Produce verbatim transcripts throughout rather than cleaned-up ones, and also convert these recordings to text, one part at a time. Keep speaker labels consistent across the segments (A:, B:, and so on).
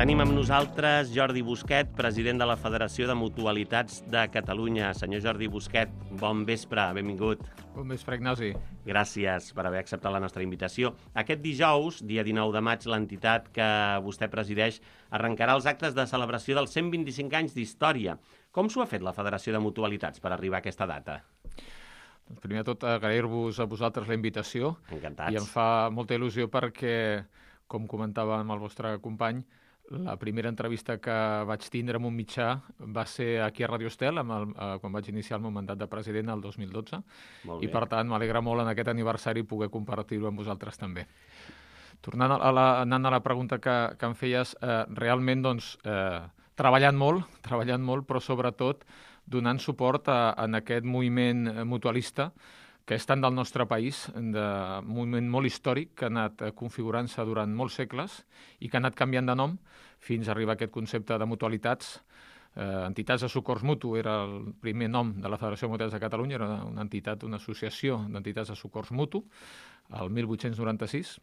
A: Tenim amb nosaltres Jordi Busquet, president de la Federació de Mutualitats de Catalunya. Senyor Jordi Busquet, bon vespre, benvingut.
B: Bon vespre, Ignasi.
A: Gràcies per haver acceptat la nostra invitació. Aquest dijous, dia dinou de maig, l'entitat que vostè presideix arrencarà els actes de celebració dels cent vint-i-cinc anys d'història. Com s'ho ha fet la Federació de Mutualitats per arribar a aquesta data?
B: Doncs primer de tot, agrair-vos a vosaltres la invitació.
A: Encantats.
B: I em fa molta il·lusió perquè, com comentava amb el vostre company, la primera entrevista que vaig tindre amb un mitjà va ser aquí a Radio Estel, amb el, eh, quan vaig iniciar el meu mandat de president el dos mil dotze.
A: Molt
B: I
A: bé.
B: per tant m'alegra molt en aquest aniversari poder compartir-ho amb vosaltres també. Tornant a la, anant a la pregunta que, que em feies, eh, realment doncs, eh, treballant molt, treballant molt, però sobretot donant suport a, a aquest moviment mutualista que és tant del nostre país, de moviment molt històric, que ha anat configurant-se durant molts segles i que ha anat canviant de nom fins a arribar a aquest concepte de mutualitats. Eh, entitats de socors mutu era el primer nom de la Federació de Mutualitats de Catalunya, era una entitat, una associació d'entitats de socors mutu, el mil vuit-cents noranta-sis,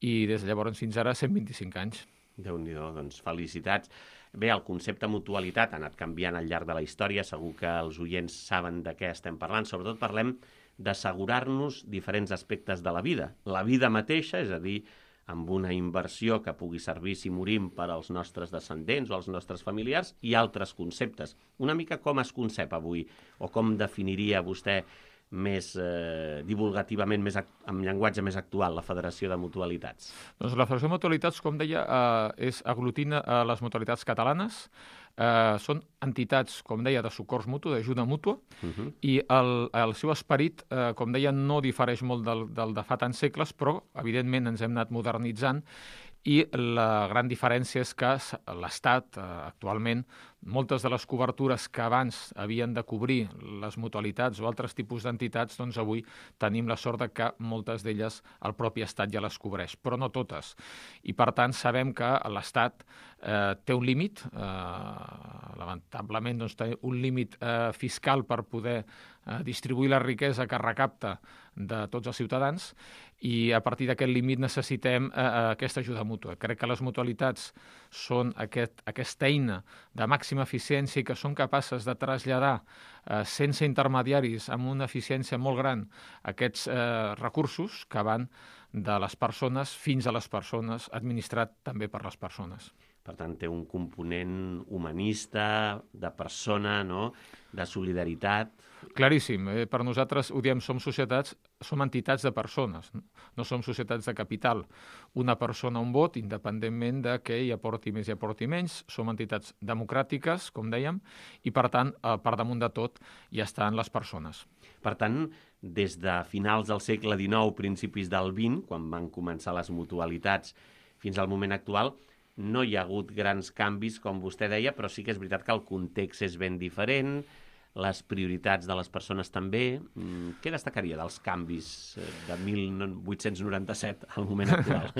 B: i des de llavors fins ara cent vint-i-cinc anys.
A: Déu-n'hi-do, doncs felicitats. Bé, el concepte mutualitat ha anat canviant al llarg de la història, segur que els oients saben de què estem parlant, sobretot parlem d'assegurar-nos diferents aspectes de la vida. La vida mateixa, és a dir, amb una inversió que pugui servir si morim per als nostres descendents o als nostres familiars, i altres conceptes. Una mica com es concep avui, o com definiria vostè més eh, divulgativament, més amb llenguatge més actual, la Federació de Mutualitats?
B: Doncs la Federació de Mutualitats, com deia, eh, és aglutina a les mutualitats catalanes. Eh, són entitats, com deia, de socors mutu, d'ajuda mútua, uh -huh. i el, el seu esperit, eh, com deia, no difereix molt del, del de fa tants segles, però, evidentment, ens hem anat modernitzant, i la gran diferència és que l'Estat, eh, actualment, moltes de les cobertures que abans havien de cobrir les mutualitats o altres tipus d'entitats, doncs avui tenim la sort de que moltes d'elles el propi Estat ja les cobreix, però no totes. I, per tant, sabem que l'Estat eh, té un límit, eh, lamentablement doncs, té un límit eh, fiscal per poder eh, distribuir la riquesa que recapta de tots els ciutadans, i a partir d'aquest límit necessitem eh, aquesta ajuda mútua. Crec que les mutualitats són aquest, aquesta eina de màxima eficiència i que són capaces de traslladar eh, sense intermediaris amb una eficiència molt gran aquests eh, recursos que van de les persones fins a les persones, administrat també per les persones.
A: Per tant, té un component humanista, de persona, no?, de solidaritat.
B: Claríssim. Eh? Per nosaltres, ho diem, som societats, som entitats de persones, no? No som societats de capital. Una persona, un vot, independentment de què hi aporti més i aporti menys. Som entitats democràtiques, com dèiem, i, per tant, eh, per damunt de tot, hi estan les persones.
A: Per tant, des de finals del segle dinou, principis del vint, quan van començar les mutualitats, fins al moment actual, no hi ha hagut grans canvis, com vostè deia, però sí que és veritat que el context és ben diferent, les prioritats de les persones també. Què destacaria dels canvis de mil vuit-cents noranta-set al moment actual?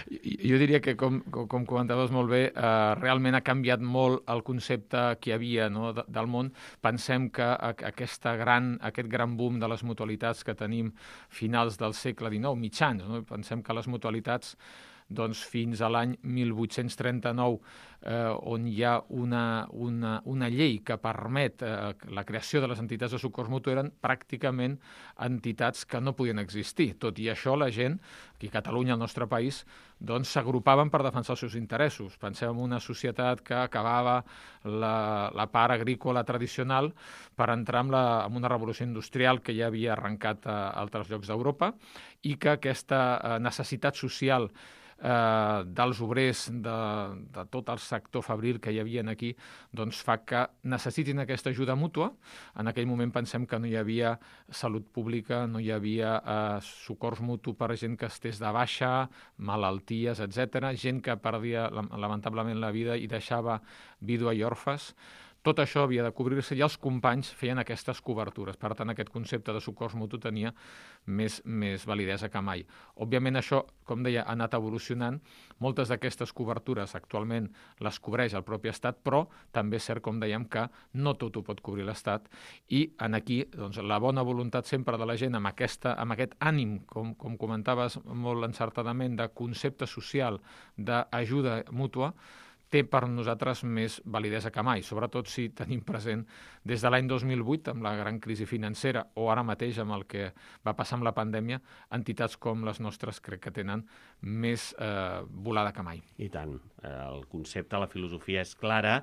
B: Jo diria que, com, com comentaves molt bé, eh, realment ha canviat molt el concepte que hi havia, no, de, del món. Pensem que aquesta gran, aquest gran boom de les mutualitats que tenim finals del segle dinou, mitjans, no? Pensem que les mutualitats doncs fins a l'any mil vuit-cents trenta-nou, eh, on hi ha una, una, una llei que permet eh, la creació de les entitats de socors mutu, eren pràcticament entitats que no podien existir. Tot i això, la gent, aquí a Catalunya, al nostre país, doncs s'agrupaven per defensar els seus interessos. Pensem en una societat que acabava la, la part agrícola tradicional per entrar en, la, en una revolució industrial que ja havia arrencat a altres llocs d'Europa, i que aquesta eh, necessitat social Eh, dels obrers, de, de tot el sector fabril que hi havia aquí, doncs fa que necessitin aquesta ajuda mútua. En aquell moment pensem que no hi havia salut pública, no hi havia eh, socors mutu per gent que estés de baixa, malalties, etcètera, gent que perdia lamentablement la vida i deixava vídua i orfes. Tot això havia de cobrir-se i els companys feien aquestes cobertures. Per tant, aquest concepte de socors mutu tenia més, més validesa que mai. Òbviament, això, com deia, ha anat evolucionant. Moltes d'aquestes cobertures actualment les cobreix el propi Estat, però també és cert, com dèiem, que no tot ho pot cobrir l'Estat. I en aquí, doncs, la bona voluntat sempre de la gent amb, aquesta, amb aquest ànim, com, com comentaves molt encertadament, de concepte social, d'ajuda mútua, té per nosaltres més validesa que mai, sobretot si tenim present des de l'any dos mil vuit, amb la gran crisi financera, o ara mateix amb el que va passar amb la pandèmia, entitats com les nostres crec que tenen més eh, volada que mai.
A: I tant. El concepte, la filosofia és clara.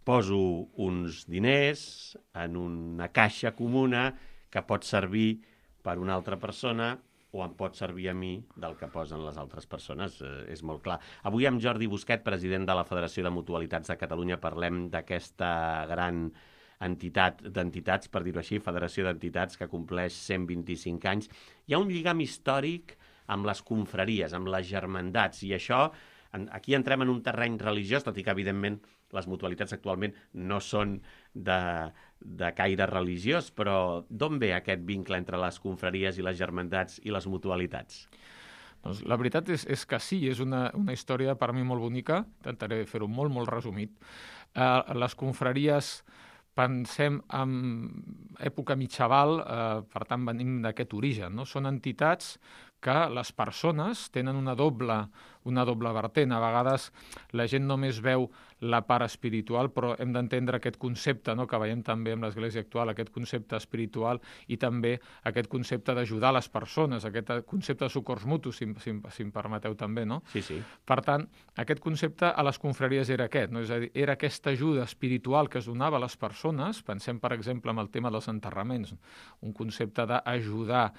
A: Poso uns diners en una caixa comuna que pot servir per una altra persona o em pot servir a mi del que posen les altres persones, eh, és molt clar. Avui amb Jordi Busquet, president de la Federació de Mutualitats de Catalunya, parlem d'aquesta gran entitat d'entitats, per dir-ho així, Federació d'Entitats, que compleix cent vint-i-cinc anys. Hi ha un lligam històric amb les confraries, amb les germandats, i això, aquí entrem en un terreny religiós, tot i que, evidentment, les mutualitats actualment no són de, de caire religiós, però d'on ve aquest vincle entre les confraries i les germandats i les mutualitats?
B: Doncs la veritat és, és que sí, és una, una història per mi molt bonica, intentaré fer-ho molt, molt resumit. Uh, les confraries, pensem en època mitjaval, uh, per tant venim d'aquest origen, no? Són entitats que les persones tenen una doble, una doble vertent. A vegades la gent només veu la part espiritual, però hem d'entendre aquest concepte, no?, que veiem també en l'Església actual, aquest concepte espiritual i també aquest concepte d'ajudar les persones, aquest concepte de socors mutus, si, si, si em permeteu també, no?
A: Sí, sí.
B: Per tant, aquest concepte a les confraries era aquest, no? És a dir, era aquesta ajuda espiritual que es donava a les persones. Pensem, per exemple, en el tema dels enterraments, un concepte d'ajudar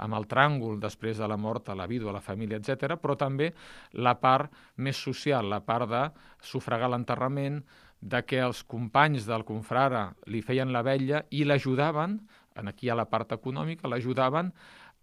B: amb el tràngol després de la mort a la vídua, a la família, etcètera, però també la part més social, la part de sufragar l'enterrament, de que els companys del confrare li feien la vetlla i l'ajudaven, aquí hi ha la part econòmica, l'ajudaven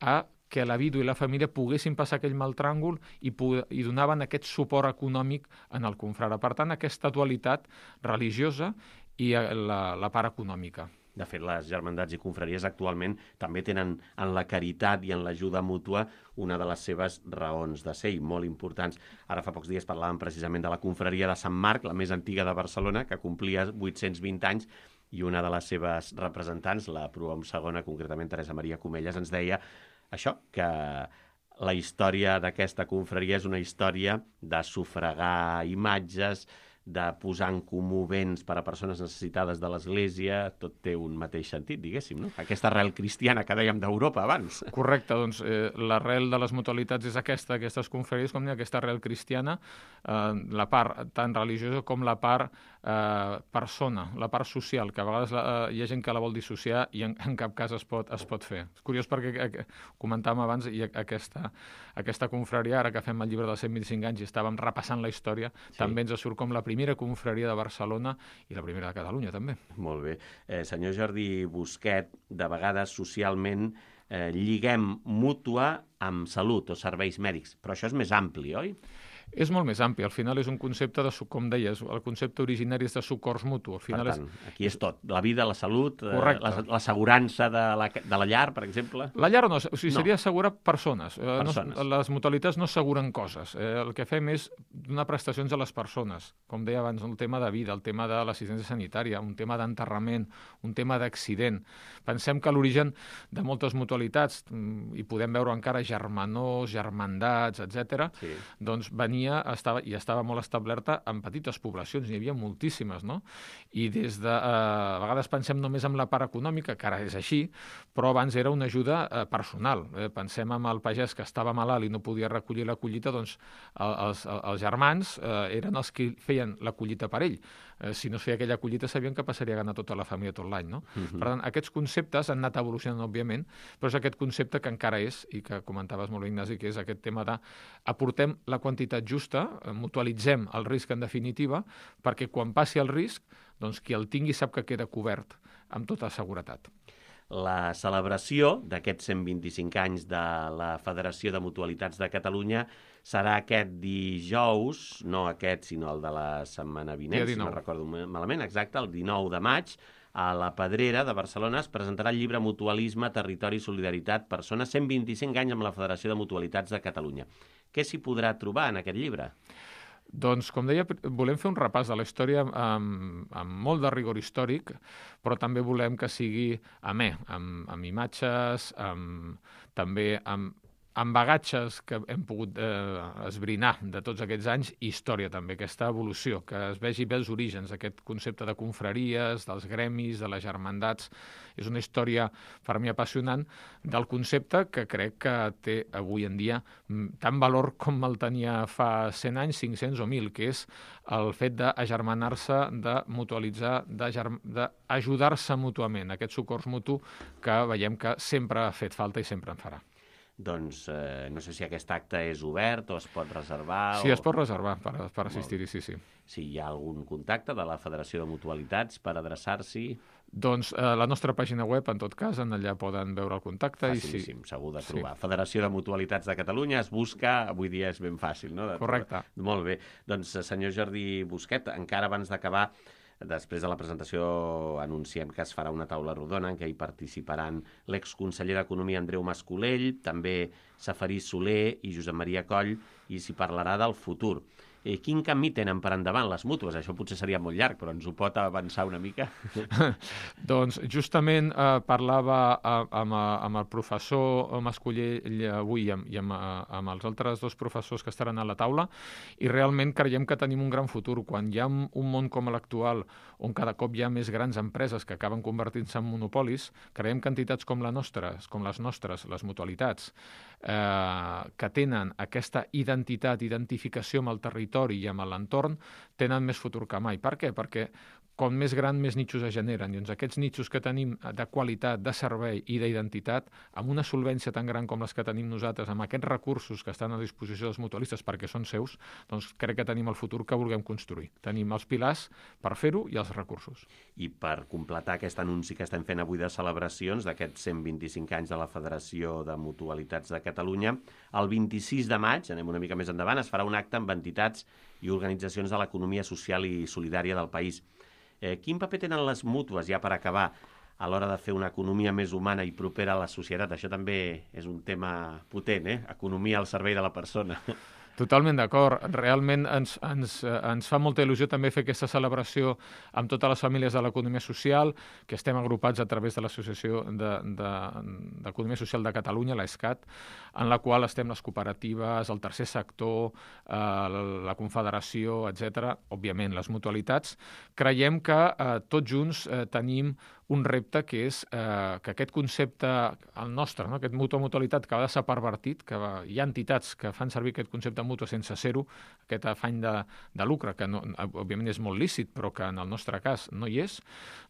B: a que la vídua i la família poguessin passar aquell mal tràngol i, i donaven aquest suport econòmic en el confrare. Per tant, aquesta dualitat religiosa i la, la part econòmica.
A: De fet, les germandats i confraries actualment també tenen en la caritat i en l'ajuda mútua una de les seves raons de ser, i molt importants. Ara fa pocs dies parlàvem precisament de la confraria de Sant Marc, la més antiga de Barcelona, que complia vuit-cents vint anys, i una de les seves representants, la Prohom segona, concretament Teresa Maria Comelles, ens deia això, que la història d'aquesta confraria és una història de sufragar imatges, de posar en comú béns per a persones necessitades de l'Església, tot té un mateix sentit, diguéssim, no? Aquesta arrel cristiana que dèiem d'Europa abans.
B: Correcte, doncs eh, l'arrel de les mutualitats és aquesta, aquestes confraries, com aquesta arrel cristiana, eh, la part tant religiosa com la part eh, persona, la part social, que a vegades eh, hi ha gent que la vol dissociar i en, en cap cas es pot, es pot fer. És curiós perquè eh, comentàvem abans i aquesta, aquesta confraria, ara que fem el llibre dels cent vint-i-cinc anys i estàvem repassant la història, sí, també ens surt com la primera confraria de Barcelona i la primera de Catalunya, també.
A: Molt bé. Eh, senyor Jordi Busquet, de vegades socialment eh, lliguem mútua amb salut o serveis mèdics, però això és més ampli, oi?
B: És molt més ampli. Al final és un concepte de, com deies, el concepte originari és de socors mutu. Al final
A: per tant,
B: és...
A: aquí és tot. La vida, la salut, eh, l'assegurança de, la, de la llar, per exemple.
B: La llar no, o sigui,
A: no.
B: seria assegurar persones.
A: persones.
B: No, les mutualitats no asseguren coses. Eh, el que fem és donar prestacions a les persones. Com deia abans, el tema de vida, el tema de l'assistència sanitària, un tema d'enterrament, un tema d'accident. Pensem que l'origen de moltes mutualitats, i podem veure encara germanors, germandats, etcètera, sí, doncs venia Estava, i estava molt establerta en petites poblacions, n'hi havia moltíssimes, no? I des de... Eh, a vegades pensem només en la part econòmica, que ara és així, però abans era una ajuda eh, personal. Eh, pensem en el pagès que estava malalt i no podia recollir la collita, doncs els, els germans eh, eren els que feien la collita per ell. Eh, si no es feia aquella collita sabien que passaria a ganar tota la família tot l'any, no? Uh-huh. Per tant, aquests conceptes han anat evolucionant, òbviament, però és aquest concepte que encara és, i que comentaves molt bé, Ignasi, que és aquest tema de aportem la quantitat justa, mutualitzem el risc en definitiva, perquè quan passi el risc, doncs qui el tingui sap que queda cobert amb tota seguretat.
A: La celebració d'aquests cent vint-i-cinc anys de la Federació de Mutualitats de Catalunya serà aquest dijous, no aquest, sinó el de la setmana vinent, si no recordo malament, exacte, el dinou de maig, a la Pedrera de Barcelona es presentarà el llibre Mutualisme, Territori i Solidaritat, persones, cent vint-i-cinc anys amb la Federació de Mutualitats de Catalunya. Què s'hi podrà trobar en aquest llibre?
B: Doncs, com deia, volem fer un repàs de la història amb, amb molt de rigor històric, però també volem que sigui amè, amb, amb imatges, amb, també amb amb bagatges que hem pogut eh, esbrinar de tots aquests anys, i història també, aquesta evolució, que es vegi bé els orígens, aquest concepte de confraries, dels gremis, de les germandats. És una història per mi apassionant del concepte que crec que té avui en dia tant valor com el tenia fa cent anys, cinc-cents o mil, que és el fet d'agermanar-se, de mutualitzar, d'ajudar-se mútuament, aquest socors mutu que veiem que sempre ha fet falta i sempre en farà.
A: Doncs eh, no sé si aquest acte és obert o es pot reservar.
B: Sí,
A: o...
B: es pot reservar per, per assistir-hi, sí, sí.
A: Si hi ha algun contacte de la Federació de Mutualitats per adreçar-s'hi...
B: Doncs eh, la nostra pàgina web, en tot cas, en allà poden veure el contacte.
A: Facilíssim,
B: i sí.
A: segur de trobar.
B: Sí.
A: Federació de Mutualitats de Catalunya es busca, avui dia és ben fàcil, no? De
B: Correcte.
A: Trobar. Molt bé. Doncs, senyor Jordi Busquet, encara abans d'acabar, després de la presentació anunciem que es farà una taula rodona en què hi participaran l'exconseller d'Economia Andreu Mascolell, també Safarí Soler i Josep Maria Coll, i s'hi parlarà del futur. Eh, quin camí tenen per endavant les mútues? Això potser seria molt llarg, però ens ho pot avançar una mica?
B: Doncs justament eh, parlava eh, amb, amb el professor Mascolell avui i, amb, i amb, amb els altres dos professors que estaran a la taula, i realment creiem que tenim un gran futur. Quan hi ha un món com l'actual, on cada cop hi ha més grans empreses que acaben convertint-se en monopolis, creiem que entitats com, la nostra, com les nostres, les mutualitats, eh, que tenen aquesta identitat, identificació amb el territori i amb l'entorn, tenen més futur que mai. Per què? Perquè com més gran, més nichos es generen. I doncs aquests nichos que tenim de qualitat, de servei i d'identitat, amb una solvència tan gran com les que tenim nosaltres, amb aquests recursos que estan a disposició dels mutualistes perquè són seus, doncs crec que tenim el futur que vulguem construir. Tenim els pilars per fer-ho i els recursos.
A: I per completar aquest anunci que estem fent avui de celebracions d'aquests cent vint-i-cinc anys de la Federació de Mutualitats de Catalunya, el vint-i-sis de maig, anem una mica més endavant, es farà un acte amb entitats i organitzacions de l'economia social i solidària del país. Eh, quin paper tenen les mútues, ja per acabar, a l'hora de fer una economia més humana i propera a la societat? Això també és un tema potent, eh? Economia al servei de la persona.
B: Totalment d'acord. Realment ens, ens, ens fa molta il·lusió també fer aquesta celebració amb totes les famílies de l'economia social, que estem agrupats a través de l'Associació d'Economia Social de Catalunya, l'ESCAT, en la qual estem les cooperatives, el tercer sector, eh, la Confederació, etcètera, òbviament les mutualitats. Creiem que eh, tots junts eh, tenim un repte que és eh, que aquest concepte, el nostre, no? Aquest mutua-mutualitat, que a vegades s'ha pervertit, que va, hi ha entitats que fan servir aquest concepte mutu sense ser-ho, aquest afany de, de lucre, que no, òbviament és molt lícit, però que en el nostre cas no hi és,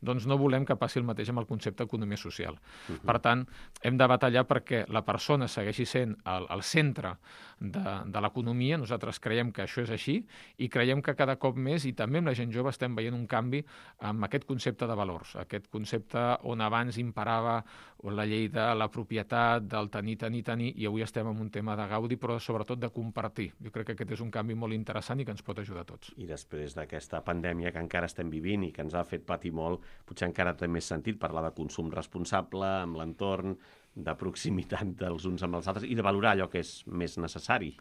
B: doncs no volem que passi el mateix amb el concepte economia social. Uh-huh. Per tant, hem de batallar perquè la persona segueixi sent el, el centre de, de l'economia. Nosaltres creiem que això és així i creiem que cada cop més, i també amb la gent jove, estem veient un canvi amb aquest concepte de valors, aquest concepte on abans imperava la llei de la propietat, del tenir, tenir, tenir, i avui estem en un tema de gaudi, però sobretot de compartir. Jo crec que aquest és un canvi molt interessant i que ens pot ajudar a tots.
A: I després d'aquesta pandèmia que encara estem vivint i que ens ha fet patir molt, potser encara té més sentit parlar de consum responsable amb l'entorn, de proximitat dels uns amb els altres i de valorar allò que és més necessari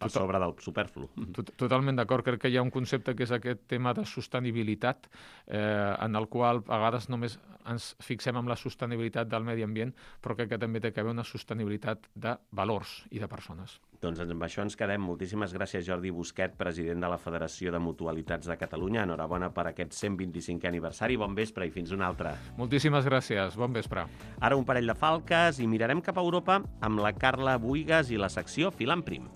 A: per sobre del superflu.
B: Totalment d'acord. Crec que hi ha un concepte que és aquest tema de sostenibilitat, eh, en el qual a vegades només ens fixem en la sostenibilitat del medi ambient, però crec que també té que haver una sostenibilitat de valors i de persones.
A: Doncs amb això ens quedem. Moltíssimes gràcies, Jordi Busquet, president de la Federació de Mutualitats de Catalunya. Enhorabona per aquest cent vint-i-cinquè aniversari. Bon vespre i fins una altra.
B: Moltíssimes gràcies. Bon vespre.
A: Ara un parell de falques i mirarem cap a Europa amb la Carla Buigas i la secció Filant Prim.